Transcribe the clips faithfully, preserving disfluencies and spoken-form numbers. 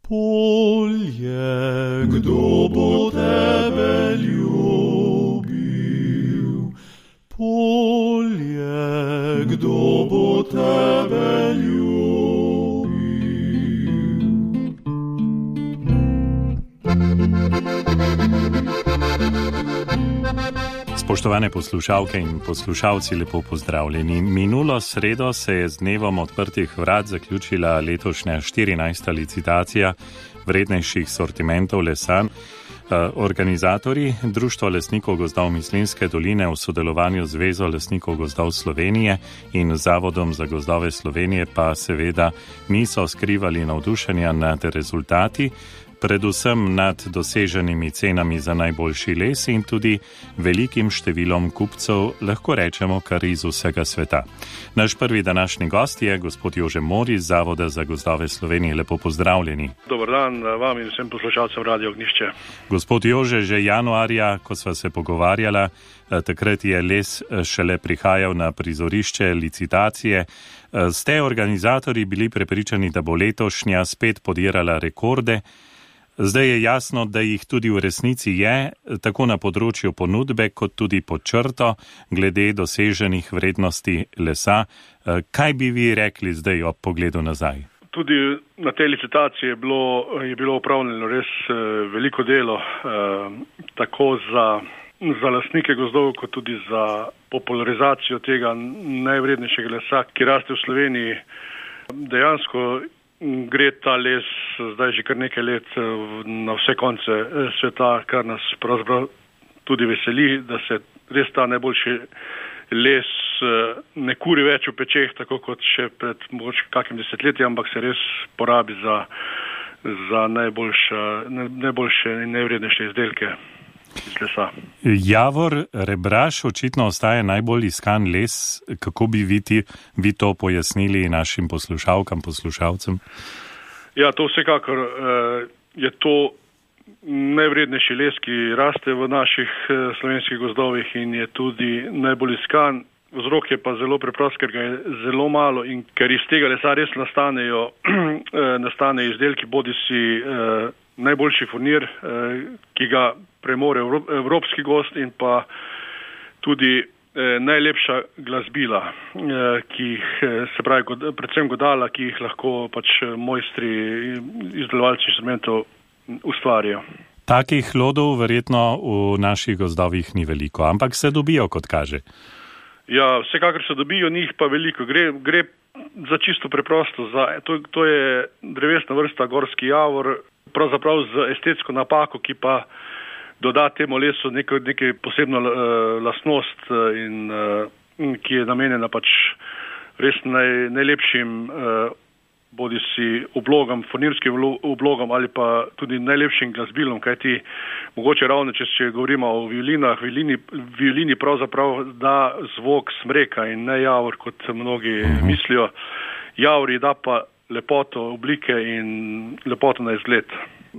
Polje, kdo bo tebe ljubil? Polje, kdo bo tebe ljubil? Spoštovane poslušalke in poslušalci, lepo pozdravljeni. Minulo sredo se je z dnevom odprtih vrat zaključila letošnja štirinajsta licitacija vrednejših sortimentov lesa. Organizatorji Društvo lesnikov gozdov Mislinjske doline v sodelovanju z Zvezo lesnikov gozdov Slovenije in Zavodom za gozdove Slovenije pa seveda niso skrivali navdušenja nad rezultati, predvsem nad doseženimi cenami za najboljši les in tudi velikim številom kupcev, lahko rečemo kar iz vsega sveta. Naš prvi današnji gost je gospod Jože Mori iz Zavoda za gozdove Slovenije. Lepo pozdravljeni. Dobar dan vam in vsem poslušalcem Radio Ognjišče. Gospod Jože, že januarja, ko sva se pogovarjala, takrat je les šele prihajal na prizorišče licitacije. Ste organizatorji bili prepričani, da bo letošnja spet podirala rekorde? Zdaj je jasno, da jih tudi v resnici je, tako na področju ponudbe, kot tudi pod črto, glede doseženih vrednosti lesa. Kaj bi vi rekli zdaj ob pogledu nazaj? Tudi na tej licitaciji je bilo, je bilo upravljeno res veliko delo, tako za, za lastnike gozdov, kot tudi za popularizacijo tega najvrednejšega lesa, ki raste v Sloveniji. Dejansko gre ta les zdaj že kar nekaj let na vse konce sveta, kar nas pravzaprav tudi veseli, da se res ta najboljši les ne kuri več v pečeh, tako kot še pred mogoče kakim desetletjem, ampak se res porabi za, za najboljša, najboljše in najvrednejše izdelke iz lesa. Javor, rebraš očitno ostaje najbolj iskan les. Kako bi vi, ti, vi to pojasnili našim poslušalkam, poslušalcem? Ja, to vsekakor je to najvrednejši les, ki raste v naših slovenskih gozdovih in je tudi najbolj iskan. Vzrok je pa zelo preprost, ker ga je zelo malo in ker iz tega lesa res nastanejo nastane izdelki, bodisi najboljši furnir, ki ga premore evropski gost in pa tudi najlepša glasbila, ki jih, se pravi, predvsem godala, ki jih lahko pač mojstri, izdelovalci instrumentov ustvarijo. Takih hlodov verjetno v naših gozdovih ni veliko, ampak se dobijo, kot kaže. Ja, vsekakor se dobijo, njih pa veliko. Gre, gre za čisto preprosto. Za, to, to je drevesna vrsta gorski javor, pravzaprav z estetsko napako, ki pa doda temu lesu neko, nekaj posebno uh, lastnost uh, in uh, ki je namenjena pač res naj, najlepšim uh, bodisi oblogam, furnirskim oblogam ali pa tudi najlepšim glasbilom, kajti mogoče ravno, če, če govorimo o violinah, violini, violini pravzaprav da zvok smreka in ne javor, kot mnogi uh-huh. mislijo. Javori da pa lepoto oblike in lepoto na izgled.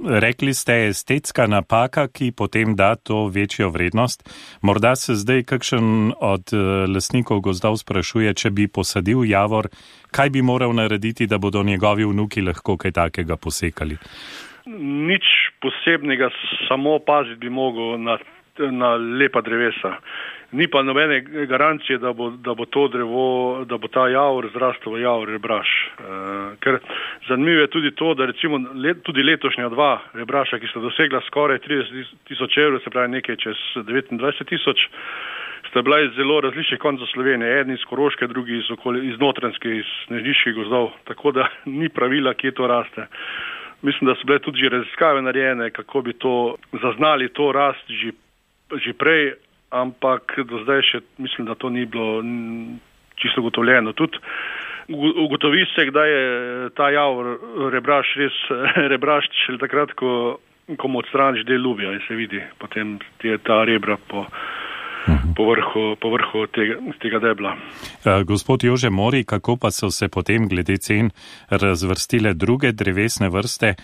Rekli ste estetska napaka, ki potem da to večjo vrednost. Morda se zdaj kakšen od lastnikov gozdov sprašuje, če bi posadil javor, kaj bi moral narediti, da bodo njegovi vnuki lahko kaj takega posekali? Nič posebnega, samo paziti bi mogel na, na lepa drevesa. Ni pa nobene garancije, da bo, da bo to drevo, da bo ta javor zrastel v javor rebraš. E, ker zanimivo je tudi to, da recimo let, tudi letošnja dva rebraša, ki sta dosegla skoraj trideset tisoč evrov, se pravi nekaj čez devetindvajset tisoč, sta bila iz zelo različnih koncev Slovenije, eden iz Koroške, drugi iz, okoli, iz Notranjske, iz Snežniških gozdov, tako da ni pravila, kje to raste. Mislim, da so bile tudi že raziskave narejene, kako bi to zaznali, to rast že, že prej, ampak do zdaj še mislim, da to ni bilo čisto ugotovljeno. Tudi ugotovi se, kdaj je ta javor rebraš res rebraš šele takrat, ko, ko mu odstraniš del lubja in se vidi potem je ta rebra po, po vrhu, po vrhu tega, tega debla. Gospod Jože Mori, kako pa so se potem glede cen razvrstile druge drevesne vrste?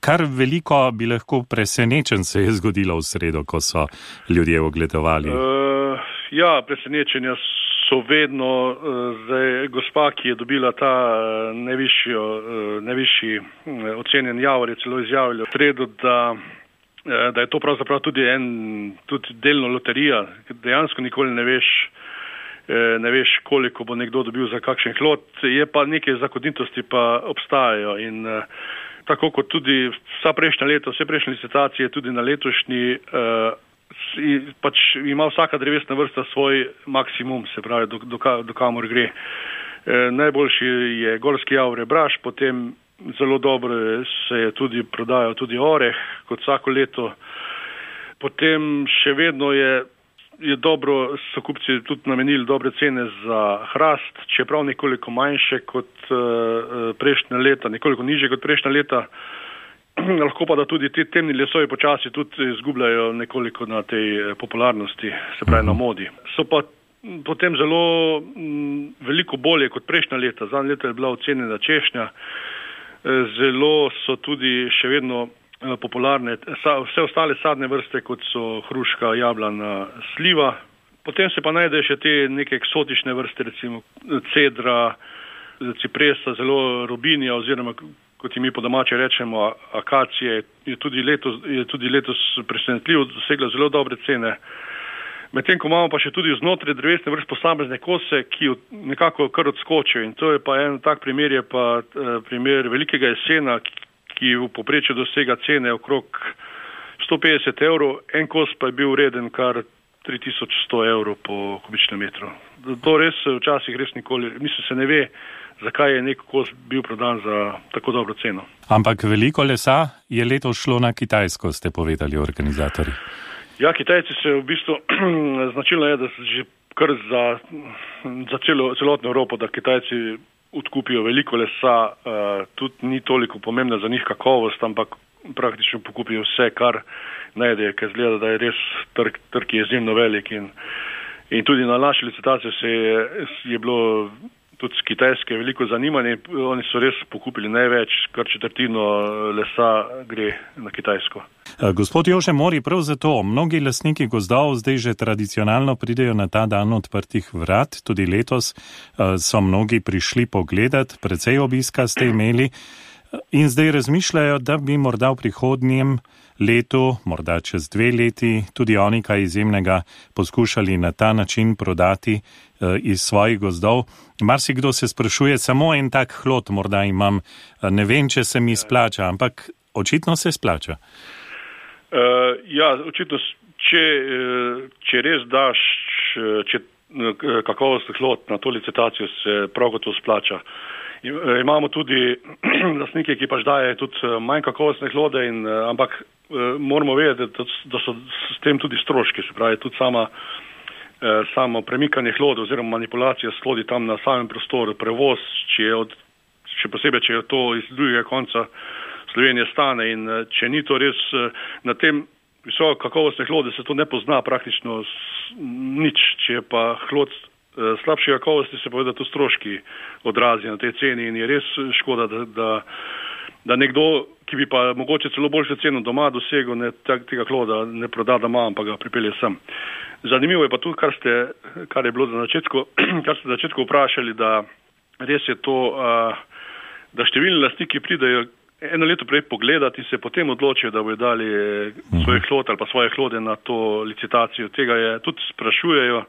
Kar veliko bi lahko presenečen se je zgodilo v sredo, ko so ljudje ogledovali. Uh, ja, presenečenja so vedno, zdaj gospa, ki je dobila ta najvišjo, najvišji ocenjen javor, je celo izjavila v sredo, da, da je to pravzaprav tudi en, tudi delno loterija, dejansko nikoli ne veš, ne veš, koliko bo nekdo dobil za kakšen hlod, je pa neke zakonitosti pa obstajajo in tako kot tudi vsa prejšnja leta, vse prejšnje licitacije, tudi na letošnji, pač ima vsaka drevesna vrsta svoj maksimum, se pravi, do, do, do kamor gre. E, najboljši je gorski javor Braš, potem zelo dobro se je tudi prodajal tudi oreh, kot vsako leto. Potem še vedno je, je dobro, so kupci tudi namenili dobre cene za hrast, čeprav nekoliko manjše kot uh, prejšnja leta, nekoliko nižje kot prejšnja leta. Lahko pa da tudi te temni lesovi počasi tudi izgubljajo nekoliko na tej popularnosti, se pravi na modi. So pa potem zelo m, veliko bolje kot prejšnja leta. Zadnje leto je bila ocenjena češnja. Zelo so tudi še vedno popularne vse ostale sadne vrste, kot so hruška, jablana, sliva. Potem se pa najde še te neke eksotične vrste, recimo cedra, cipresa, zelo robinja oziroma kot mi po domače rečemo, akacije, je tudi letos, je tudi letos presenetljivo dosegla zelo dobre cene. Medtem ko imamo pa še tudi znotraj drevesne vrst posamezne kose, ki nekako kar odskočijo. In to je pa en tak primer, je pa primer velikega jesena, ki v povprečju dosega cene okrog sto petdeset evrov, en kos pa je bil vreden kar tri tisoč sto evrov po kubičnem metru. To res včasih res nikoli, mislim, se ne ve, zakaj je nek kos bil prodan za tako dobro ceno. Ampak veliko lesa je letos šlo na Kitajsko, ste povedali organizatorji. Ja, Kitajci se v bistvu značilno je, da se že kar za, za celo, celotno Evropo, da Kitajci odkupijo veliko lesa, uh, tudi ni toliko pomembna za njih kakovost, ampak praktično pokupijo vse, kar najdejo, ker zgleda, da je res trg, trg je izjemno velik in, in tudi na naši licitaciji se je, je bilo tudi z Kitajske veliko zanimanje, oni so res pokupili največ, kar četrtino lesa gre na Kitajsko. Gospod Jože Mori, prav zato mnogi lastniki gozdov zdaj že tradicionalno pridejo na ta dan odprtih vrat, tudi letos so mnogi prišli pogledat, precej obiska ste imeli in zdaj razmišljajo, da bi morda v prihodnjem letu, morda čez dve leti, tudi oni kaj izjemnega poskušali na ta način prodati uh, iz svojih gozdov. Marsikdo se sprašuje, samo en tak hlod morda imam, ne vem, če se mi splača, ampak očitno se splača. Uh, ja, očitno, če, če res daš če, kakovostni hlod na to licitacijo, se prav gotovo splača. Imamo tudi lastnike, ki pač daje tudi manj kakovostne hlode, in, ampak moramo vedeti, da, da so s tem tudi stroški, se pravi tudi sama, samo premikanje hlode oziroma manipulacija s hlodi tam na samem prostoru, prevoz, če je od, še posebej, če je to iz drugega konca Slovenije stane, in če ni to res na tem visoko kakovostne hlode, se to ne pozna praktično nič, če je pa hlod slabše kakovosti, se poveda, da to stroški odrazijo na tej ceni in je res škoda, da, da, da nekdo, ki bi pa mogoče celo boljšo ceno doma dosegel, ne, tega hloda ne proda doma, ampak ga pripelje sem. Zanimivo je pa tudi, kar, ste, kar je bilo za začetku, kar ste za začetku vprašali, da res je to, da številni lastniki pridejo eno leto prej pogledati in se potem odločijo, da bojo dali svoje hlode ali pa svoje hlode na to licitacijo. Tega je tudi sprašujejo.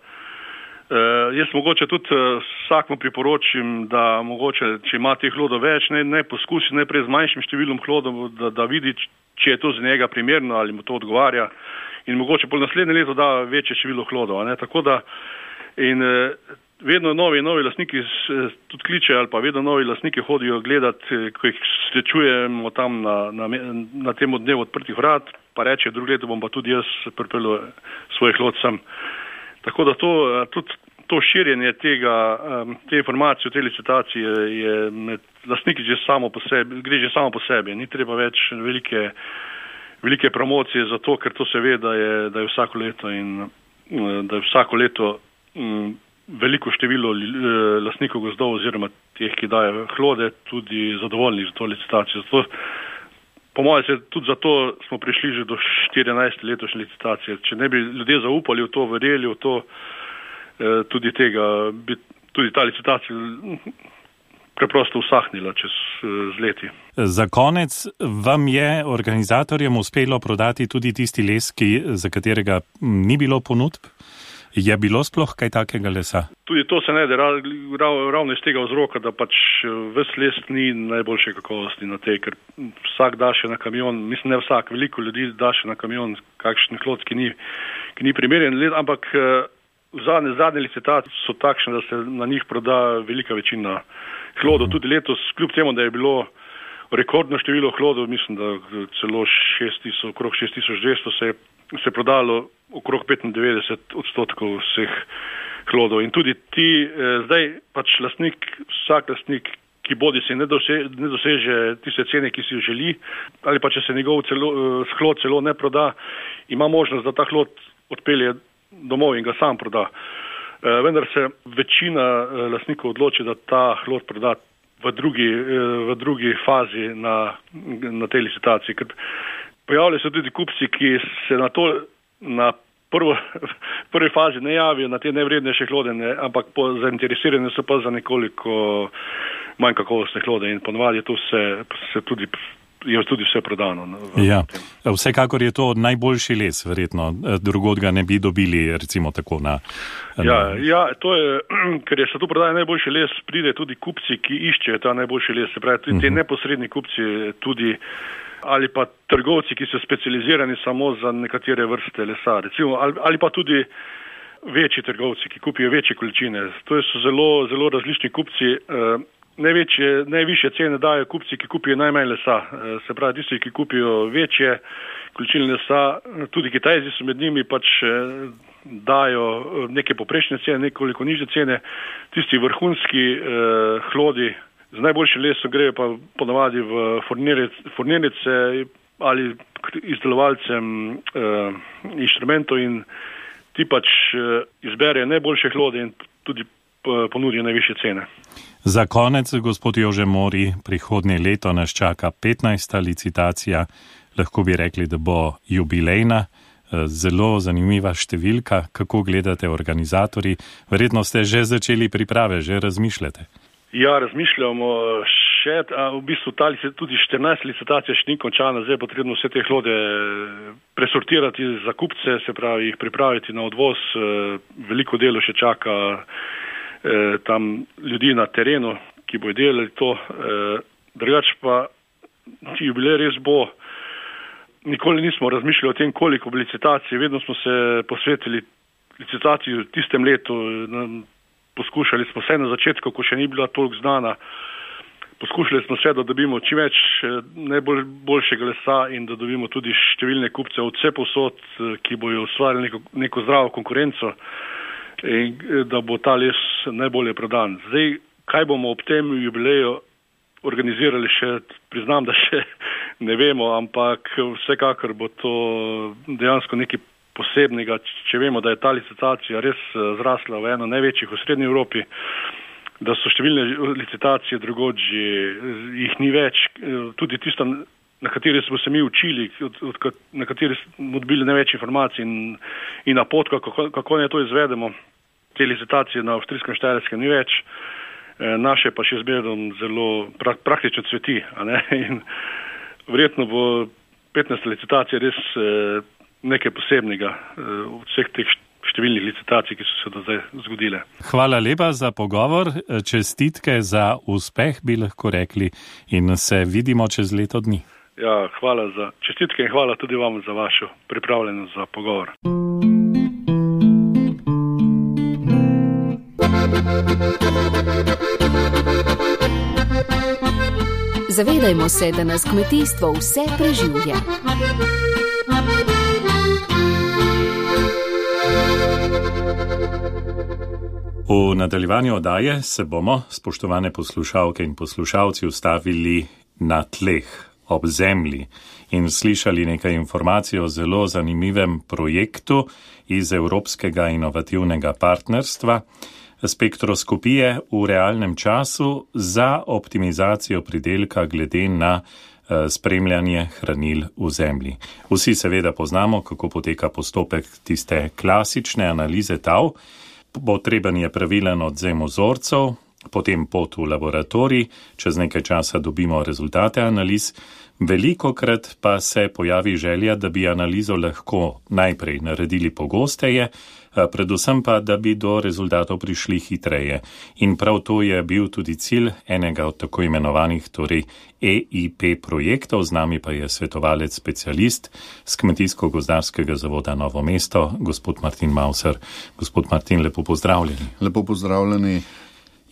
Uh, jaz mogoče tudi uh, vsakmu priporočim, da mogoče, če ima teh hlodov več, ne, ne poskusi najprej z manjšim številom hlodov, da, da vidi, če je to za njega primerno ali mu to odgovarja, in mogoče pol naslednje leto da večje število hlodov. Ne? Tako da in uh, vedno novi novi lastniki uh, tudi kličejo ali pa vedno novi lastniki hodijo gledati, ko jih srečujemo tam na, na, na tem dnevu odprtih vrat, pa reče, drugo leto bom pa tudi jaz pripeljal svoj hlod sem. Tako da to, tudi to širjenje tega, te informacije o tej licitaciji je med lastniki že samo po sebi, gre že samo po sebi. Ni treba več velike, velike promocije za to, ker to se ve, da je, da je vsako leto in da je vsako leto m, veliko število lastnikov gozdov oziroma teh, ki dajo hlode, tudi zadovoljni za to licitacijo. Zato, po mojem se tudi zato smo prišli že do štirinajste letošnje licitacije. Če ne bi ljudje zaupali v to, verjeli v to, tudi tega, bi tudi ta licitacija preprosto usahnila čez z leti. Za konec, vam je organizatorjem uspelo prodati tudi tisti les, ki, za katerega ni bilo ponudb? Je bilo sploh kaj takega lesa? Tudi to se najde rav, rav, ravno iz tega vzroka, da pač ves les ni najboljše kakovosti na tej, ker vsak da še na kamion, mislim ne vsak, veliko ljudi da še na kamion kakšen hlod, ki ni, ki ni primeren, ampak zadnje, zadnje licitacije so takšne, da se na njih proda velika večina hlodov. Tudi letos, kljub temu, da je bilo rekordno število hlodov, mislim, da celo šest tisoč, okrog šest tisoč dvesto se je se prodalo okrog petindevetdeset odstotkov vseh hlodov. In tudi ti, eh, zdaj pač lastnik, vsak lastnik, ki bodi se ne, dose, ne doseže tiste cene, ki si jo želi, ali pa če se njegov celo, eh, hlod celo ne proda, ima možnost, da ta hlod odpelje domov in ga sam proda. Eh, vendar se večina eh, lastnikov odloči, da ta hlod proda v drugi, eh, v drugi fazi na, na tej licitaciji. Ker pojavljajo se tudi kupci, ki se na to, na prvo, prvi fazi ne javijo na te nevrednejše hlode, ne, ampak po, zainteresirani so pa za nekoliko manj kakovostne hlode in ponovadi je to vse, se tudi, je tudi vse prodano. Ja, vsekakor je to najboljši les, verjetno, drugod ga ne bi dobili, recimo tako na... na... Ja, ja, to je, ker je se tu prodaja najboljši les, pride tudi kupci, ki iščejo ta najboljši les, se pravi, tudi te uh-huh. neposredni kupci tudi ali pa trgovci, ki so specializirani samo za nekatere vrste lesa, recimo, ali, ali pa tudi večji trgovci, ki kupijo večje količine. To so zelo, zelo različni kupci. Uh, največje, najvišje cene dajo kupci, ki kupijo najmanj lesa. Uh, se pravi, tisti, ki kupijo večje količine lesa, tudi Kitajci so med njimi, pač uh, dajo neke poprečne cene, nekoliko nižje cene. Tisti vrhunski uh, hlodi z najboljšim lesom grejo pa ponavadi v fornirnice ali izdelovalcem uh, inštrumentov in ti pač uh, izberejo najboljše hlode in tudi uh, ponudijo najvišje cene. Za konec, gospod Jože Mori, prihodnje leto nas čaka petnajsta licitacija, lahko bi rekli, da bo jubilejna, zelo zanimiva številka. Kako gledate organizatorji? Verjetno ste že začeli priprave, že razmišljate. Ja, razmišljamo še, a v bistvu ta tudi štirinajst licitacija še ni končana, zdaj je potrebno vse te hlode presortirati za kupce, se pravi jih pripraviti na odvoz, veliko delo še čaka tam ljudi na terenu, ki bojo delali to, drugače pa jubilej res bo, nikoli nismo razmišljali o tem, koliko bo licitacij, vedno smo se posvetili licitaciji v tistem letu, poskušali smo vse na začetku, ko še ni bila toliko znana, poskušali smo vse, da dobimo čim več najboljšega lesa in da dobimo tudi številne kupce od vse povsod, ki bojo ustvarili neko, neko zdravo konkurenco in da bo ta les najbolje prodan. Zdaj, kaj bomo ob tem jubileju organizirali še, priznam, da še ne vemo, ampak vsekakor bo to dejansko neki posebnega, če vemo, da je ta licitacija res zrasla v eno največjih v srednji Evropi, da so številne licitacije drugodži, jih ni več, tudi tista, na kateri smo se mi učili, od, od, na kateri smo dobili največ informacij in, in napotka, kako, kako ne to izvedemo. Te licitacije na avstrijskem Štajerskem ni več, naše pa še zmerom zelo pra, praktično cveti, a ne? In verjetno bo petnajsta licitacija res nekaj posebnega v vseh teh številnih licitacij, ki so se do zdaj zgodile. Hvala lepa za pogovor, čestitke za uspeh, bi lahko rekli, in se vidimo čez leto dni. Ja, hvala za čestitke in hvala tudi vam za vašo pripravljenost za pogovor. Zavedajmo se, da nas kmetijstvo vse preživlja. V nadaljevanju oddaje se bomo, spoštovane poslušalke in poslušalci, ustavili na tleh, ob zemlji in slišali nekaj informacij o zelo zanimivem projektu iz Evropskega inovativnega partnerstva, spektroskopije v realnem času za optimizacijo pridelka glede na spremljanje hranil v zemlji. Vsi seveda poznamo, kako poteka postopek tiste klasične analize tal, Potreben je pravilen odzem vzorcev, potem pot v laboratorij, čez nekaj časa dobimo rezultate analiz. Velikokrat pa se pojavi želja, da bi analizo lahko najprej naredili pogosteje, predvsem pa, da bi do rezultatov prišli hitreje. In prav to je bil tudi cilj enega od tako imenovanih, torej E I P projektov, z nami pa je svetovalec specialist z Kmetijsko-gozdarskega zavoda Novo mesto, gospod Martin Mauser. Gospod Martin, lepo pozdravljeni. Lepo pozdravljeni.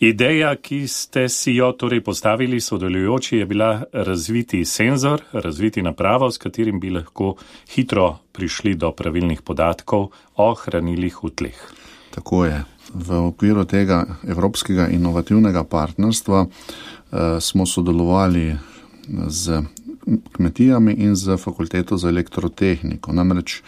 Ideja, ki ste si jo torej postavili sodelujoči, je bila razviti senzor, razviti napravo, s katerim bi lahko hitro prišli do pravilnih podatkov o hranilih v tleh. Tako je. V okviru tega evropskega inovativnega partnerstva eh, smo sodelovali z kmetijami in z fakulteto za elektrotehniko. Namreč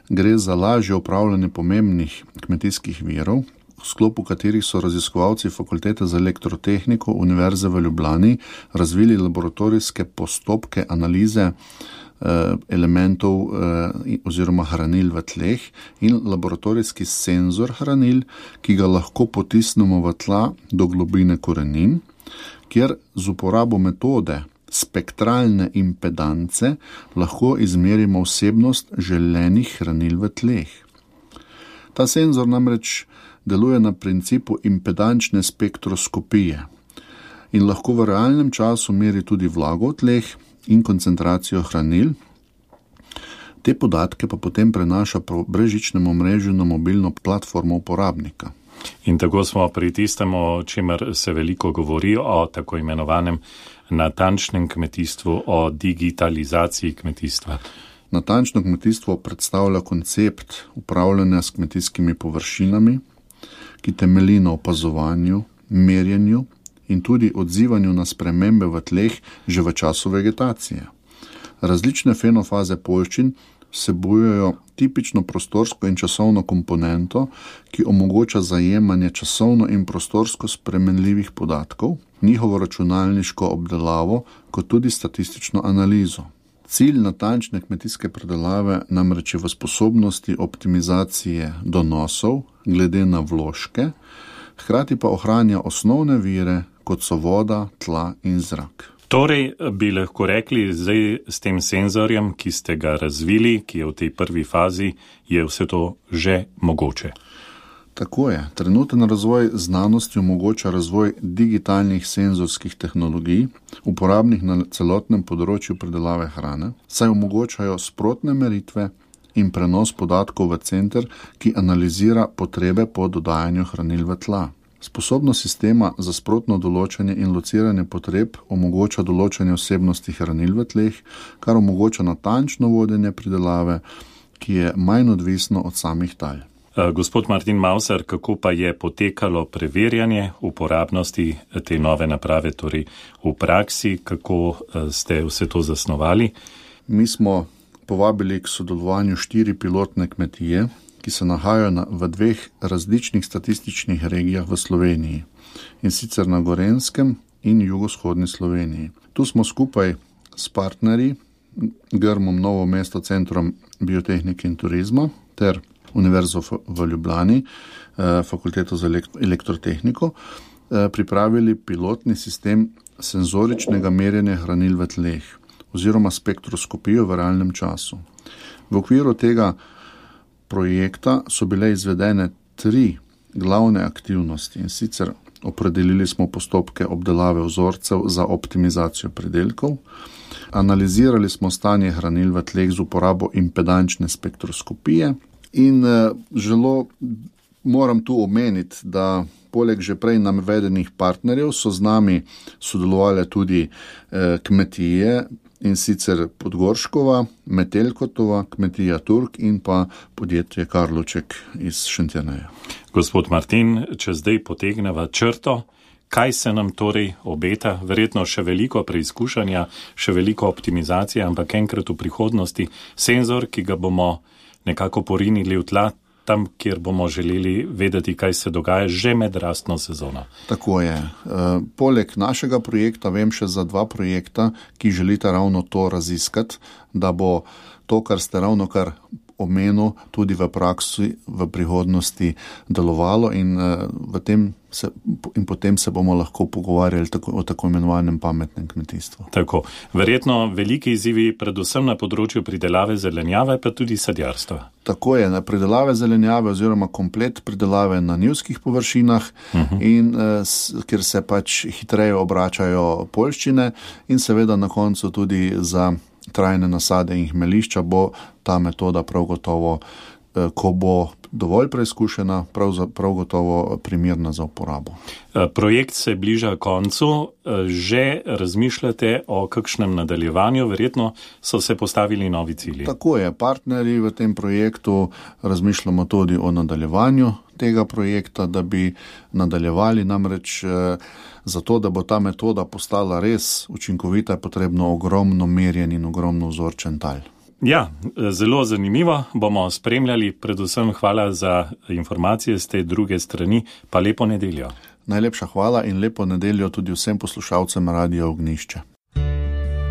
gre za lažje upravljanje pomembnih kmetijskih virov, v sklopu katerih so raziskovalci fakultete za elektrotehniko Univerze v Ljubljani razvili laboratorijske postopke analize eh, elementov eh, oziroma hranil v tleh in laboratorijski senzor hranil, ki ga lahko potisnemo v tla do globine korenin, kjer z uporabo metode spektralne impedance lahko izmerimo vsebnost želenih hranil v tleh. Ta senzor namreč deluje na principu impedančne spektroskopije in lahko v realnem času meri tudi vlago v tleh in koncentracijo hranil. Te podatke pa potem prenaša po brezžičnem omrežju na mobilno platformo uporabnika. In tako smo pri tistem, o čemer se veliko govori, o tako imenovanem natančnem kmetijstvu, o digitalizaciji kmetijstva. Natančno kmetijstvo predstavlja koncept upravljanja s kmetijskimi površinami, ki temelji na opazovanju, merjenju in tudi odzivanju na spremembe v tleh že v času vegetacije. Različne fenofaze poljščin vsebujejo tipično prostorsko in časovno komponento, ki omogoča zajemanje časovno in prostorsko spremenljivih podatkov, njihovo računalniško obdelavo, kot tudi statistično analizo. Cilj natančne kmetijske predelave namreč je v sposobnosti optimizacije donosov glede na vložke, hkrati pa ohranja osnovne vire, kot so voda, tla in zrak. Torej bi lahko rekli, zdaj s tem senzorjem, ki ste ga razvili, ki je v tej prvi fazi, je vse to že mogoče. Tako je. Trenuten razvoj znanosti omogoča razvoj digitalnih senzorskih tehnologij, uporabnih na celotnem področju predelave hrane, saj omogočajo sprotne meritve in prenos podatkov v center, ki analizira potrebe po dodajanju hranil v tla. Sposobnost sistema za sprotno določanje in lociranje potreb omogoča določanje vsebnosti hranil v tleh, kar omogoča natančno vodenje pridelave, ki je manj odvisno od samih tal. Gospod Martin Mauser, kako pa je potekalo preverjanje uporabnosti te nove naprave, torej v praksi, kako ste vse to zasnovali? Mi smo povabili k sodelovanju štiri pilotne kmetije, ki se nahajajo na, v dveh različnih statističnih regijah v Sloveniji, in sicer na Gorenjskem in jugovzhodni Sloveniji. Tu smo skupaj s partnerji, Grmom Novo mesto, Centrom biotehnike in turizma ter Univerzo v Ljubljani, fakulteto za elektrotehniko, pripravili pilotni sistem senzoričnega merjenja hranil v tleh oziroma spektroskopijo v realnem času. V okviru tega projekta so bile izvedene tri glavne aktivnosti, in sicer opredelili smo postopke obdelave vzorcev za optimizacijo pridelkov, analizirali smo stanje hranil v tleh z uporabo impedančne spektroskopije. In želo moram tu omeniti, da poleg že prej navedenih partnerjev so z nami sodelovali tudi kmetije, in sicer Podgorškova, Metelkotova, kmetija Turk in pa podjetje Karloček iz Šentjerneja. Gospod Martin, če zdaj potegneva črto, kaj se nam torej obeta? Verjetno še veliko preizkušanja, še veliko optimizacije, ampak enkrat v prihodnosti senzor, ki ga bomo nekako porinili v tla, tam, kjer bomo želeli vedeti, kaj se dogaja že med rastno sezono. Tako je. E, poleg našega projekta vem še za dva projekta, ki želita ravno to raziskati, da bo to, kar ste ravno kar omenil, tudi v praksi v prihodnosti delovalo in, v tem se, in potem se bomo lahko pogovarjali tako, o tako imenovanem pametnem kmetijstvu. Tako. Verjetno veliki izzivi predvsem na področju pridelave zelenjave, pa tudi sadjarstva. Tako je, na pridelave zelenjave oziroma komplet pridelave na njivskih površinah, uh-huh. in s, kjer se pač hitreje obračajo poljščine in seveda na koncu tudi za trajne nasade in hmelišča bo ta metoda prav gotovo, ko bo dovolj preizkušena, prav, prav gotovo primerna za uporabo. Projekt se bliža koncu. Že razmišljate o kakšnem nadaljevanju? Verjetno so se postavili novi cilji. Tako je. Partnerji v tem projektu razmišljamo tudi o nadaljevanju tega projekta, da bi nadaljevali. Namreč zato, da bo ta metoda postala res učinkovita, je potrebno ogromno merjen in ogromno vzorčen tal. Ja, zelo zanimivo. Bomo spremljali. Predvsem hvala za informacije z te druge strani. Pa lepo nedeljo. Najlepša hvala in lepo nedeljo tudi vsem poslušalcem Radia Ognjišče.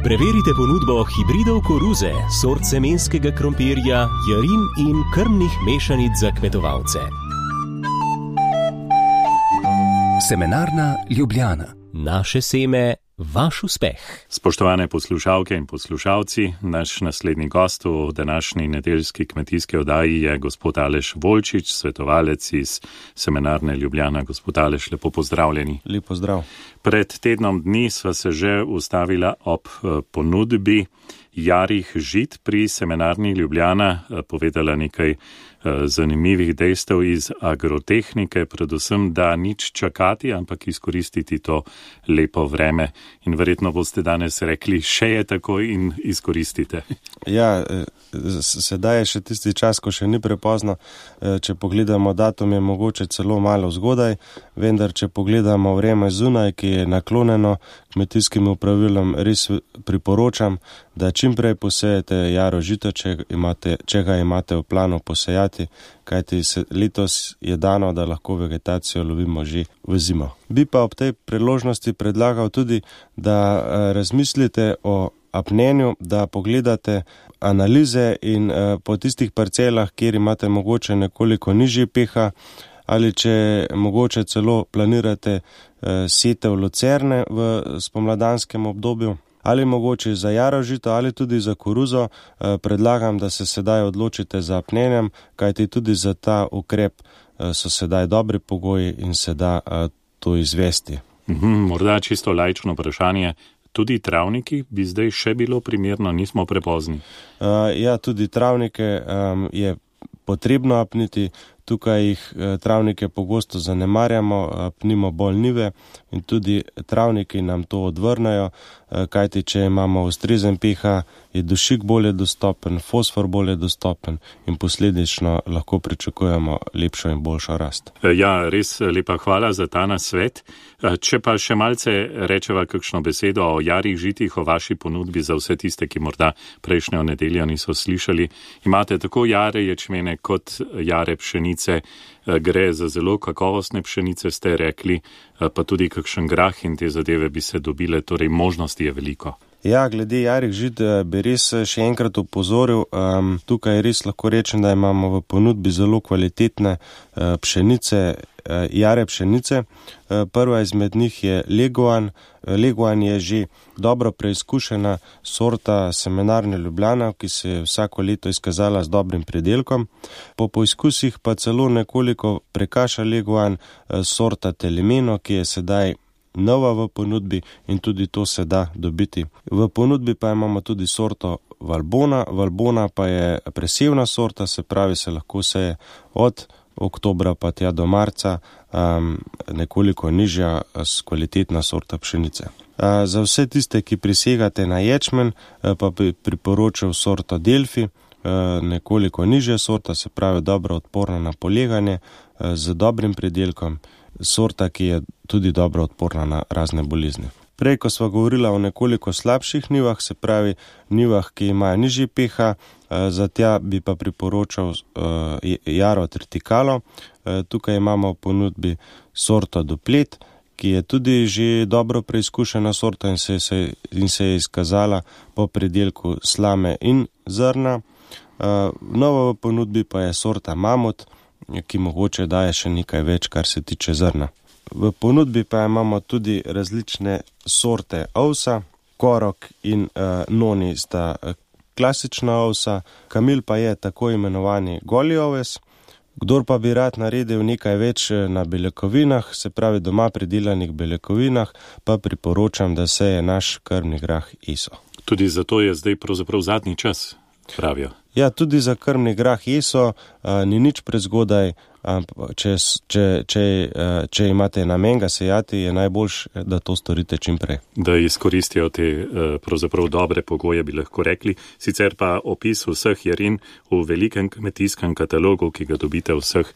Preverite ponudbo hibridov koruze, sort semenskega krompirja, jarin in krmnih mešanic za kmetovalce. Semenarna Ljubljana. Naše seme, vaš uspeh. Spoštovane poslušalke in poslušalci, naš naslednji gost v današnji nedeljski kmetijski oddaji je gospod Aleš Volčič, svetovalec iz Semenarne Ljubljana. Gospod Aleš, lepo pozdravljeni. Lep pozdrav. Pred tednom dni sva se že ustavila ob ponudbi jarih žit pri Semenarni Ljubljana, povedala nekaj zanimivih dejstev iz agrotehnike, predvsem, da nič čakati, ampak izkoristiti to lepo vreme. In verjetno boste danes rekli, še je tako in izkoristite. Ja, sedaj je še tisti čas, ko še ni prepozno. Če pogledamo datum, je mogoče celo malo zgodaj, vendar če pogledamo vreme zunaj, ki je naklonjeno kmetijskim pravilom, res priporočam, da čim prej posejete jaro žito, če, imate, če ga imate v planu posejati, kajti se, letos je dano, da lahko vegetacijo lovimo že v zimo. Bi pa ob tej priložnosti predlagal tudi, da razmislite o apnenju, da pogledate analize in po tistih parcelah, kjer imate mogoče nekoliko nižji pH, ali če mogoče celo planirate setev lucerne v spomladanskem obdobju, ali mogoče za jaro žito, ali tudi za koruzo, predlagam, da se sedaj odločite za apnenjem, kajti tudi za ta ukrep so sedaj dobri pogoji in se da to izvesti. Mhm, morda čisto laično vprašanje. Tudi travniki bi zdaj še bilo primerno, nismo prepozni? Uh, ja, tudi travnike um, je potrebno apniti. Tukaj jih travnike pogosto zanemarjamo, apnimo bolj njive in tudi travniki nam to odvrnejo, kajti če imamo ustrezen pH, je dušik bolje dostopen, fosfor bolje dostopen in posledično lahko pričakujemo lepšo in boljšo rast. Ja, res lepa hvala za ta nasvet. Če pa še malce rečeva kakšno besedo o jarih žitih, o vaši ponudbi za vse tiste, ki morda prejšnjo nedeljo niso slišali. Imate tako jare ječmene kot jare pšenice. Gre za zelo kakovostne pšenice, ste rekli, pa tudi kakšen grah in te zadeve bi se dobile, torej možnosti je veliko. Ja, glede jarih žit bi res še enkrat opozoril. Um, tukaj res lahko rečem, da imamo v ponudbi zelo kvalitetne uh, pšenice, uh, jare pšenice. Uh, prva izmed njih je Leguan. Leguan je že dobro preizkušena sorta Semenarne Ljubljana, ki se je vsako leto izkazala z dobrim pridelkom. Po poizkusih pa celo nekoliko prekaša Leguan uh, sorta Telemeno, ki je sedaj nova v ponudbi in tudi to se da dobiti. V ponudbi pa imamo tudi sorto Valbona. Valbona pa je presevna sorta, se pravi, se lahko seje od oktobra pa tja do marca, um, nekoliko nižja kvalitetna sorta pšenice. Uh, za vse tiste, ki prisegate na ječmen, uh, pa bi priporočal sorto Delfi, uh, nekoliko nižja sorta, se pravi, dobro odporna na poleganje, uh, z dobrim pridelkom, sorta, ki je tudi dobro odporna na razne bolezni. Prej, ko sva govorila o nekoliko slabših njivah, se pravi njivah, ki imajo nižji pH, za tja bi pa priporočal jaro Triticalo. Tukaj imamo v ponudbi sorto Duplet, ki je tudi že dobro preizkušena sorta in se, se, in se je izkazala po pridelku slame in zrna. Nova v ponudbi pa je sorta Mamut, ki mogoče daje še nekaj več, kar se tiče zrna. V ponudbi pa imamo tudi različne sorte ovsa, Korok in uh, Noni sta klasična ovsa, Kamil pa je tako imenovani goli oves. Kdor pa bi rad naredil nekaj več na beljakovinah, se pravi doma pridelanih beljakovinah, pa priporočam, da seje naš krmni grah eso. Tudi zato je zdaj pravzaprav zadnji čas, pravijo. Ja, tudi za krmni grah eso a, ni nič prezgodaj, a, če, če, če, a, če imate namen ga sejati, je najboljš, da to storite čim prej. Da izkoristijo te pravzaprav dobre pogoje, bi lahko rekli. Sicer pa opis vseh jarin v velikem kmetijskem katalogu, ki ga dobite v vseh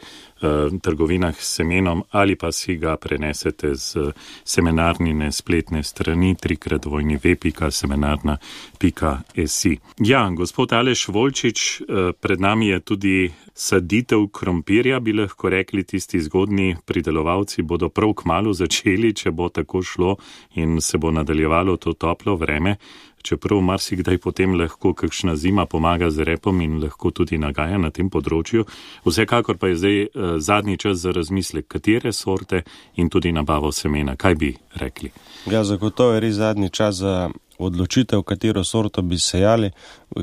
trgovinah s semenom, ali pa si ga prenesete z semenarnine spletne strani trikrat dvojni ve pika semenarna pika si. Ja, gospod Aleš Volčič, pred nami je tudi saditev krompirja, bi lahko rekli, tisti zgodnji pridelovalci bodo prav kmalu začeli, če bo tako šlo in se bo nadaljevalo to toplo vreme. Čeprav marsikdaj potem lahko kakšna zima pomaga z repom in lahko tudi nagaja na tem področju. Vsekakor pa je zdaj eh, zadnji čas za razmislek, katere sorte in tudi nabavo semena. Kaj bi rekli? Ja, zagotovo je res zadnji čas za odločitev, katero sorto bi sejali,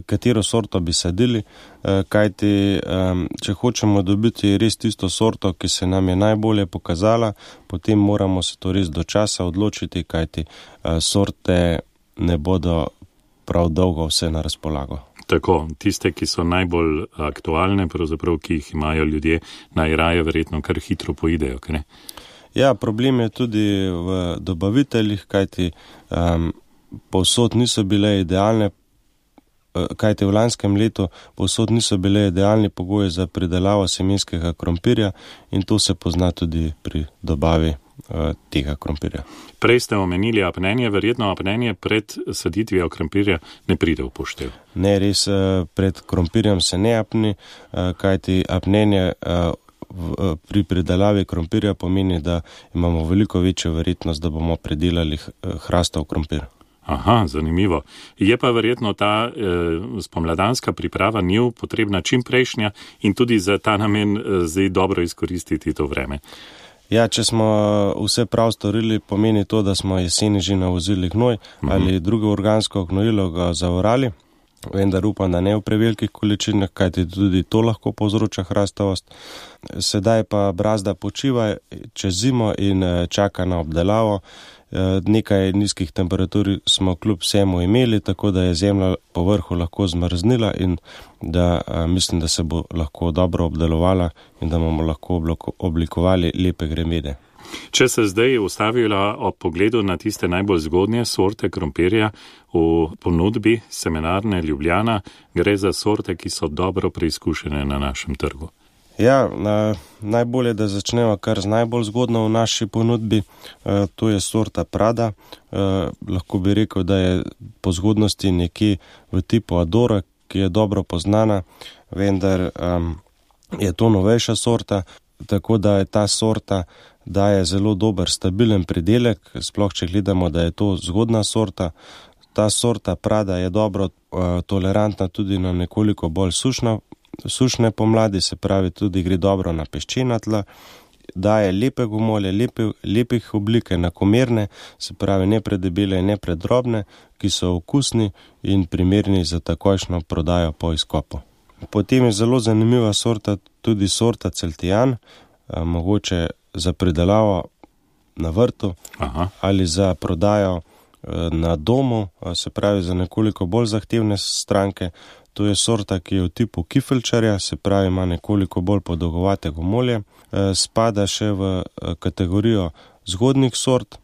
katero sorto bi sadili, eh, kajti eh, če hočemo dobiti res tisto sorto, ki se nam je najbolje pokazala, potem moramo se to res do časa odločiti, kajti eh, sorte ne bodo prav dolgo vse na razpolago. Tako, tiste, ki so najbolj aktualne, pravzaprav, ki jih imajo ljudje, najraje verjetno kar hitro poidejo, kaj ne? Ja, problem je tudi v dobaviteljih, kajti um, povsod niso bile idealne, kajti v lanskem letu povsod niso bile idealni pogoji za pridelavo semenskega krompirja in to se pozna tudi pri dobavi tega krompirja. Prej ste omenili apnenje, verjetno apnenje pred saditvijo krompirja ne pride v poštev. Ne, res pred krompirjem se ne apni, kajti apnenje pri pridelavi krompirja pomeni, da imamo veliko večjo verjetnost, da bomo pridelali hrastov krompir. Aha, zanimivo. Je pa verjetno ta eh, spomladanska priprava njiv potrebna čim prejšnja in tudi za ta namen eh, zdaj dobro izkoristiti to vreme. Ja, če smo vse prav storili, pomeni to, da smo jeseni že navozili gnoj mm-hmm. ali drugo organsko gnojilo ga zavorali, vendar upam, da ne v prevelikih količinah, kajti tudi to lahko povzroča hrastavost. Sedaj pa brazda počiva čez zimo in čaka na obdelavo. Nekaj nizkih temperatur smo kljub vsemu imeli, tako da je zemlja po vrhu lahko zmrznila in da mislim, da se bo lahko dobro obdelovala in da bomo lahko oblikovali lepe gremede. Če se zdaj ustavila ob pogledu na tiste najbolj zgodnje sorte krompirja v ponudbi semenarne Ljubljana, gre za sorte, ki so dobro preizkušene na našem trgu. Ja, na, najbolje, da začnemo kar z najbolj zgodno v naši ponudbi, e, to je sorta Prada. E, lahko bi rekel, da je po zgodnosti nekje v tipu Adora, ki je dobro poznana, vendar um, je to novejša sorta, tako da je ta sorta daje zelo dober, stabilen pridelek, sploh če gledamo, da je to zgodna sorta. Ta sorta Prada je dobro uh, tolerantna tudi na nekoliko bolj sušno sušne pomladi, se pravi tudi gre dobro na peščena tla, daje lepe gomolje, lepe, lepih oblik, enakomerne, se pravi ne predebele in ne predrobne, ki so okusni in primerni za takojšno prodajo po izkopu. Potem je zelo zanimiva sorta, tudi sorta Celtijan, mogoče za pridelavo na vrtu Aha. ali za prodajo na domu, se pravi za nekoliko bolj zahtevne stranke. To je sorta, ki je v tipu kifelčarja, se pravi ima nekoliko bolj podolgovate gomolje. Spada še v kategorijo zgodnih sort.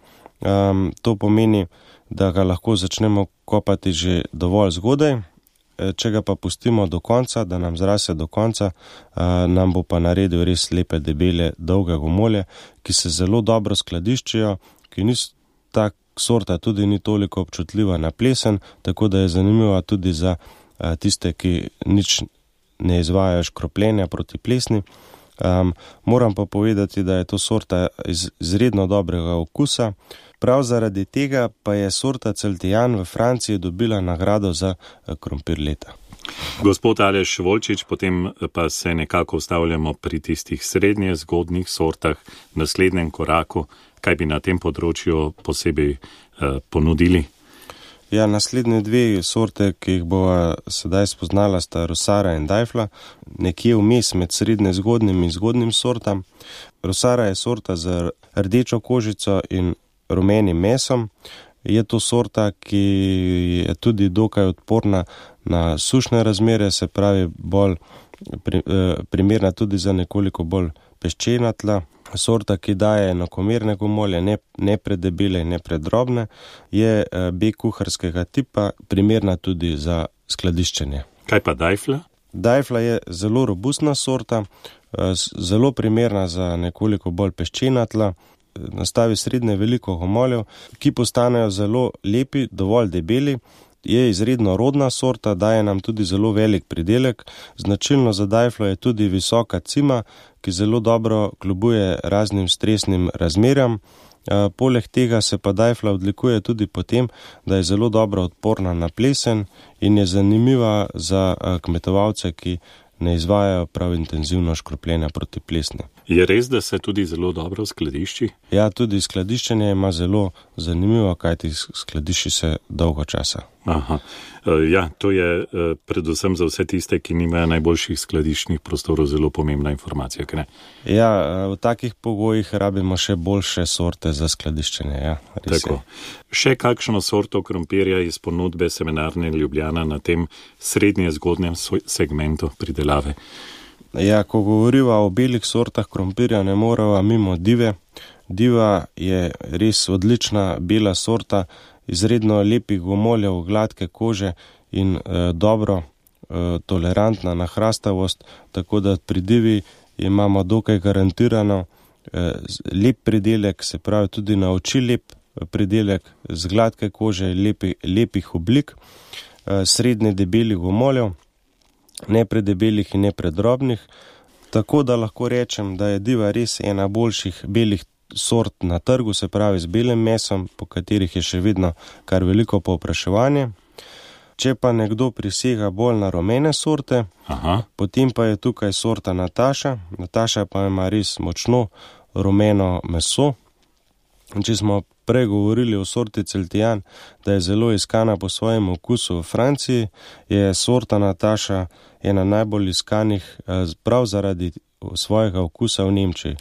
To pomeni, da ga lahko začnemo kopati že dovolj zgodaj. Če ga pa pustimo do konca, da nam zrase do konca, nam bo pa naredil res lepe, debele, dolge gomolje, ki se zelo dobro skladiščijo, ki niso tak sorta, tudi ni toliko občutljiva na plesen, tako da je zanimiva tudi za tiste, ki nič ne izvajajo škropljenja proti plesni. Um, moram pa povedati, da je to sorta iz izredno dobrega okusa. Prav zaradi tega pa je sorta Celtijan v Franciji dobila nagrado za krompir leta. Gospod Aleš Volčič, potem pa se nekako ustavljamo pri tistih srednje zgodnih sortah, naslednjem koraku, kaj bi na tem področju posebej eh, ponudili? Ja, naslednje dve sorte, ki jih bova sedaj spoznala, sta Rosara in Dajfla, nekje vmes med srednje zgodnim in zgodnim sortam. Rosara je sorta z rdečo kožico in rumenim mesom. Je to sorta, ki je tudi dokaj odporna na sušne razmere, se pravi bolj pri, eh, primerna tudi za nekoliko bolj peščena tla. Sorta, ki daje enakomerne gomolje, ne, ne predebele in ne predrobne, je eh, B kuharskega tipa, primerna tudi za skladiščenje. Kaj pa Dajfla? Dajfla je zelo robustna sorta, eh, zelo primerna za nekoliko bolj peščena tla. Nastavi srednje veliko gomoljev, ki postanejo zelo lepi, dovolj debeli. Je izredno rodna sorta, daje nam tudi zelo velik pridelek. Značilno za Dajflo je tudi visoka cima, ki zelo dobro kljubuje raznim stresnim razmeram. E, poleg tega se pa Dajfla odlikuje tudi po tem, da je zelo dobro odporna na plesen in je zanimiva za kmetovalce, ki ne izvajajo prav intenzivno škropljenja proti plesni. Je res, da se tudi zelo dobro skladišči? Ja, tudi skladiščenje ima zelo zanimivo, kajti skladišči se dolgo časa. Aha. Ja, to je predvsem za vse tiste, ki nimajo najboljših skladiščnih prostorov, zelo pomembna informacija, kaj ne? Ja, v takih pogojih rabimo še boljše sorte za skladiščenje, ja. Tako. Še kakšno sorto krompirja iz ponudbe Semenarne Ljubljana na tem srednje zgodnjem segmentu pridelave? Ja, ko govoriva o belih sortah krompirja, ne morava mimo Dive. Diva je res odlična bela sorta, izredno lepih gomoljev, gladke kože in e, dobro e, tolerantna na hrastavost, tako da pri Divi imamo dokaj garantirano e, lep pridelek, se pravi tudi na oči lep pridelek z gladke kože, lepi, lepih oblik, e, srednje debelih gomoljev, ne predebelih in ne predrobnih, tako da lahko rečem, da je Diva res ena boljših belih sort na trgu, se pravi z belim mesom, po katerih je še vedno kar veliko povpraševanje. Če pa nekdo prisega bolj na rumene sorte, Aha. potem pa je tukaj sorta Nataša. Nataša pa ima res močno rumeno meso. Če smo prej govorili o sorti Celtijan, da je zelo iskana po svojem okusu v Franciji, je sorta Nataša ena najbolj iskanih prav zaradi svojega okusa v Nemčiji.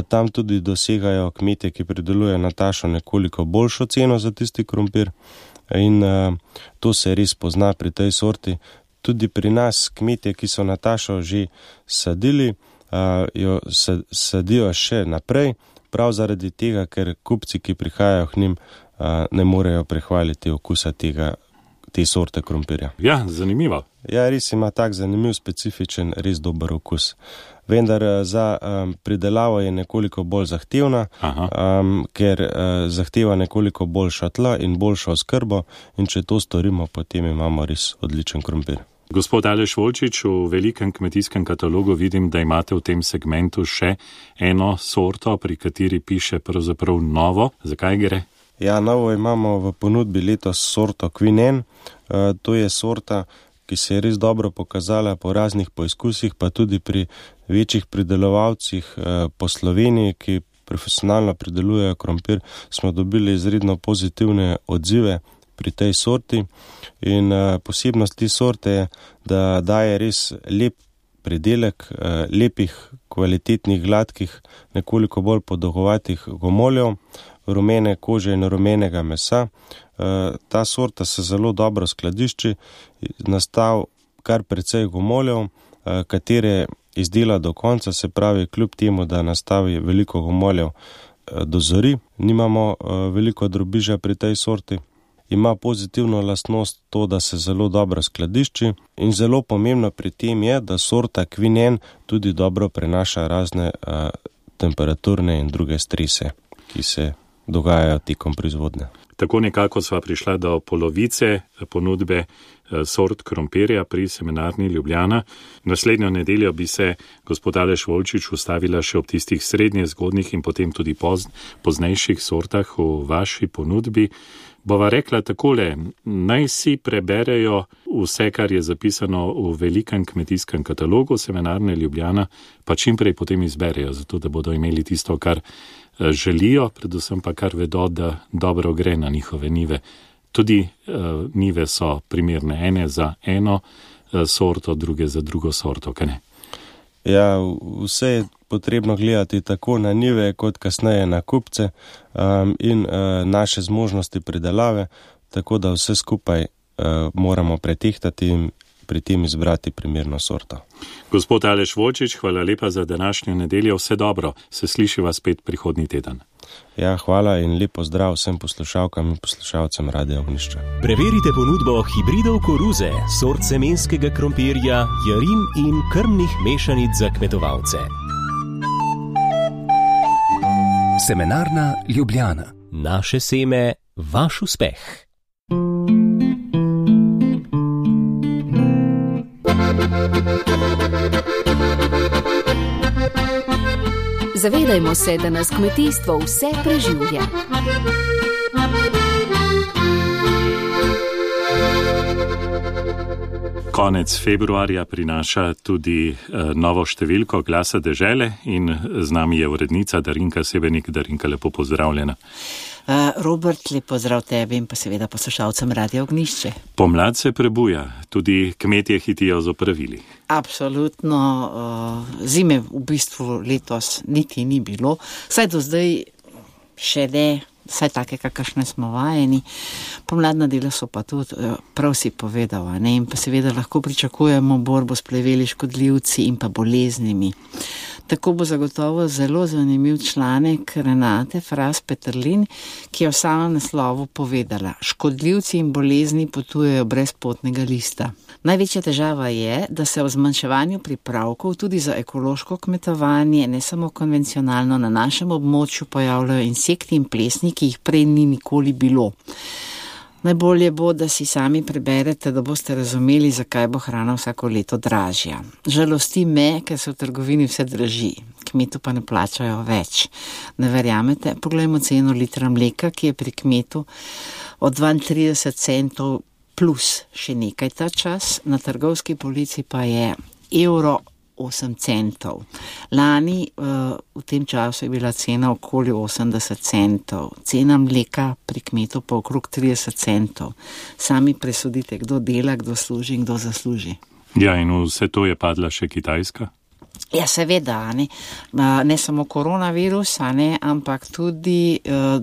Tam tudi dosegajo kmetje, ki pridelujejo Natašo, nekoliko boljšo ceno za tisti krompir in to se res pozna pri tej sorti. Tudi pri nas kmetje, ki so Natašo že sadili, jo sadijo še naprej, prav zaradi tega, ker kupci, ki prihajajo k njim, ne morejo prehvaliti okusa tega, te sorte krompirja. Ja, zanimivo. Ja, res ima tak zanimiv, specifičen, res dober okus. Vendar za um, pridelavo je nekoliko bolj zahtevna, um, ker uh, zahteva nekoliko boljša tla in boljšo oskrbo in če to storimo, potem imamo res odličen krompir. Gospod Aleš Volčič, v velikem kmetijskem katalogu vidim, da imate v tem segmentu še eno sorto, pri kateri piše pravzaprav novo. Zakaj gre? Ja, novo imamo v ponudbi letos sorto Queen Anne. Uh, to je sorta, ki se je res dobro pokazala po raznih poizkusih, pa tudi pri večjih pridelovalcih uh, po Sloveniji, ki profesionalno pridelujejo krompir, smo dobili izredno pozitivne odzive pri tej sorti. In uh, posebnost te sorte je, da daje res lep pridelek, uh, lepih, kvalitetnih, gladkih, nekoliko bolj podolgovatih gomoljev, rumene kože in rumenega mesa. Uh, ta sorta se zelo dobro skladišči, nastav kar precej gomoljev, uh, katere izdela do konca, se pravi, kljub temu, da nastavi veliko gomoljev uh, do zori, nimamo uh, veliko drobiža pri tej sorti. Ima pozitivno lastnost to, da se zelo dobro skladišči in zelo pomembno pri tem je, da sorta Queen Anne tudi dobro prenaša razne uh, temperaturne in druge strese, ki se dogajajo tekom proizvodnje. Tako nekako sva prišla do polovice ponudbe sort krompirja pri Semenarni Ljubljana. Naslednjo nedeljo bi se gospod Aleš Volčič ustavila še ob tistih srednje zgodnih in potem tudi pozn, poznejših sortah v vaši ponudbi. Bova rekla takole, naj si preberejo vse, kar je zapisano v velikem kmetijskem katalogu Semenarne Ljubljana, pa čim prej potem izberejo, zato da bodo imeli tisto, kar želijo, predvsem pa kar vedo, da dobro gre na njihove nive. Tudi uh, nive so primerne, ene za eno uh, sorto, druge za drugo sorto, kaj ne? Ja, vse je potrebno gledati tako na nive, kot kasneje na kupce um, in uh, naše zmožnosti pridelave, tako da vse skupaj uh, moramo pretehtati in pri tem izbrati primerno sorto. Gospod Aleš Volčič, hvala lepa za današnjo nedeljo, vse dobro, se slišiva spet prihodnji teden. Ja, hvala in lepo zdrav vsem poslušalkam in poslušalcem Radia Ognjišče. Preverite ponudbo hibridov koruze, sort semenskega krompirja, jarin in krmnih mešanic za kmetovalce. Semenarna Ljubljana. Naše seme, vaš uspeh. Zavedajmo se, da nas kmetijstvo vse preživlja. Konec februarja prinaša tudi uh, novo številko Glasa dežele in z nami je urednica Darinka Sebenik. Darinka, lepo pozdravljena. Uh, Robert, lep pozdrav tebi in pa seveda poslušalcem Radia Ognjišče. Pomlad se prebuja, tudi kmetje hitijo z opravili. Absolutno, uh, zime v bistvu letos niti ni bilo, saj do zdaj še ne, saj take, kakršne smo vajeni. Pomladna dela so pa tudi, prav si povedal, ne? In pa seveda lahko pričakujemo borbo s pleveli, škodljivci in pa boleznimi. Tako bo zagotovo zelo zanimiv članek Renate Fras Peterlin, ki je v samem naslovu povedala: škodljivci in bolezni potujejo brez potnega lista. Največja težava je, da se v zmanjševanju pripravkov tudi za ekološko kmetovanje, ne samo konvencionalno, na našem območju pojavljajo insekti in plesni, ki jih prej ni nikoli bilo. Najbolje bo, da si sami preberete, da boste razumeli, zakaj bo hrana vsako leto dražja. Žalosti me, ker se v trgovini vse draži, kmetu pa ne plačajo več. Ne verjamete? Poglejmo ceno litra mleka, ki je pri kmetu od dvaintrideset centov plus še nekaj ta čas, na trgovski polici pa je evro osem centov. Lani uh, v tem času je bila cena okoli osemdeset centov, cena mleka pri kmetu pa okrog trideset centov. Sami presudite, kdo dela, kdo služi in kdo zasluži. Ja, in vse to je padla še Kitajska? Ja, seveda, ne, ne samo koronavirus, ne, ampak tudi uh,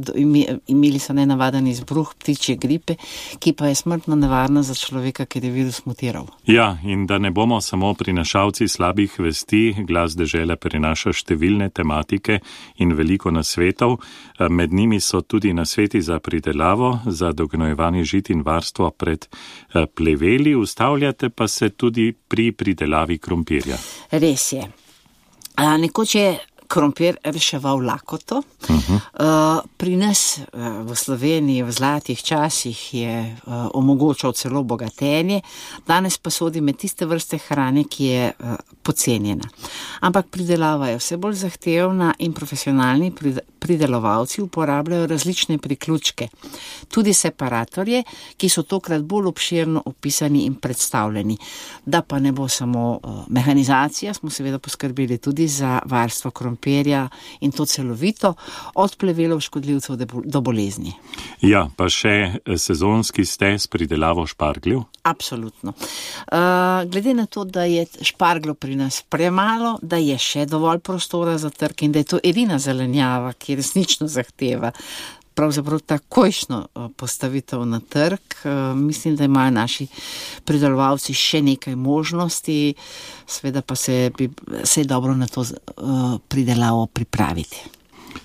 imeli so nenavaden izbruh ptičje gripe, ki pa je smrtno nevarna za človeka, ker je virus mutiral. Ja, in da ne bomo samo prinašalci slabih vesti, Glas dežele prinaša številne tematike in veliko nasvetov. Med njimi so tudi nasveti za pridelavo, za dognojevanje žit in varstvo pred pleveli. Ustavljate pa se tudi pri pridelavi krompirja. Res je. A, nekoč je krompir reševal lakoto. Uh-huh. Uh, pri nas uh, v Sloveniji v zlatih časih je uh, omogočal celo bogatenje, danes pa sodi med tiste vrste hrane, ki je uh, pocenjena. Ampak pridelava je vse bolj zahtevna in profesionalni pridelovalci uporabljajo različne priključke, tudi separatorje, ki so tokrat bolj obširno opisani in predstavljeni. Da pa ne bo samo uh, mehanizacija, smo seveda poskrbeli tudi za varstvo krompirja in to celovito, od plevelov škodljivcev do bolezni. Ja, pa še sezonski ste s pridelavo špargljev? Absolutno. Uh, glede na to, da je špargljo pri nas premalo, da je še dovolj prostora za trg in da je to edina zelenjava, ki resnično zahteva pravzaprav takojšno postavitev na trg. Mislim, da imajo naši pridelovalci še nekaj možnosti, seveda pa se, bi, se je dobro na to pridelavo pripraviti.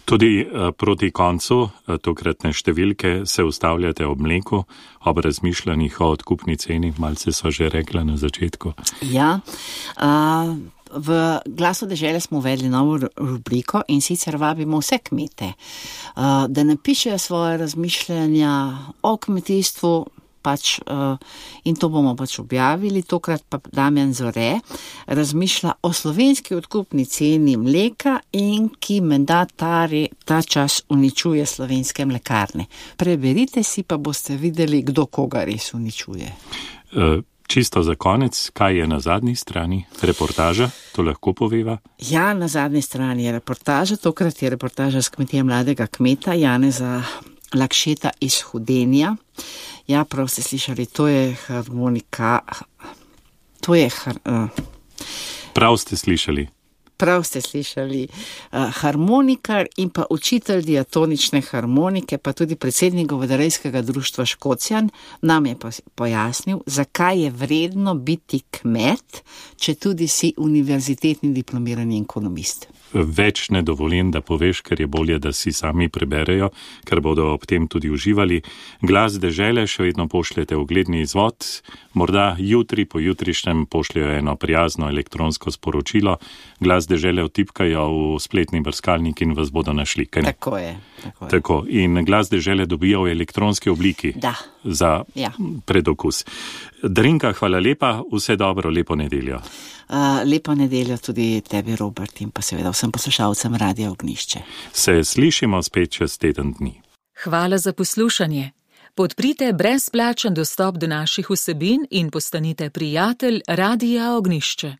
Tudi proti koncu tokratne številke se ustavljate ob mleku, ob razmišljanjih o odkupni ceni, malce so že rekla na začetku. Ja, uh... v Glasu dežele smo uvedli novo rubriko in sicer vabimo vse kmete, da napišejo svoje razmišljanja o kmetijstvu, pač, in to bomo pač objavili, tokrat pa Damjan Zore razmišlja o slovenski odkupni ceni mleka in ki menda ta, ta čas uničuje slovenske mlekarne. Preberite si, pa boste videli, kdo koga res uničuje. Uh. Čisto za konec, kaj je na zadnji strani? Reportaža, to lahko poveva? Ja, na zadnji strani je reportaža, tokrat je reportaža s kmetije mladega kmeta Janeza Lakšeta iz Hudenja. Ja, prav ste slišali, to je harmonika, to je... Har, uh, prav ste slišali. Prav ste slišali, uh, harmonikar in pa učitelj diatonične harmonike, pa tudi predsednik govedarejskega društva Škocjan, nam je pojasnil, zakaj je vredno biti kmet, če tudi si univerzitetni diplomirani ekonomist. Več ne dovolim, da poveš, ker je bolje, da si sami preberejo, ker bodo ob tem tudi uživali. Glas dežele še vedno pošljete ogledni izvod, morda jutri po jutrišnjem pošljajo eno prijazno elektronsko sporočilo, Glas dežele vtipkajo v spletni brskalnik in vas bodo našli. Tako je. Tako je. Tako. In Glas dežele dobijo v elektronski obliki da. Za ja. Predokus. Darinka, hvala lepa, vse dobro, lepo nedeljo. Uh, lepo nedeljo tudi tebi, Robert, in pa seveda vsem poslušalcem Radia Ognjišče. Se slišimo spet čez teden dni. Hvala za poslušanje. Podprite brezplačen dostop do naših vsebin in postanite prijatelj Radia Ognjišče.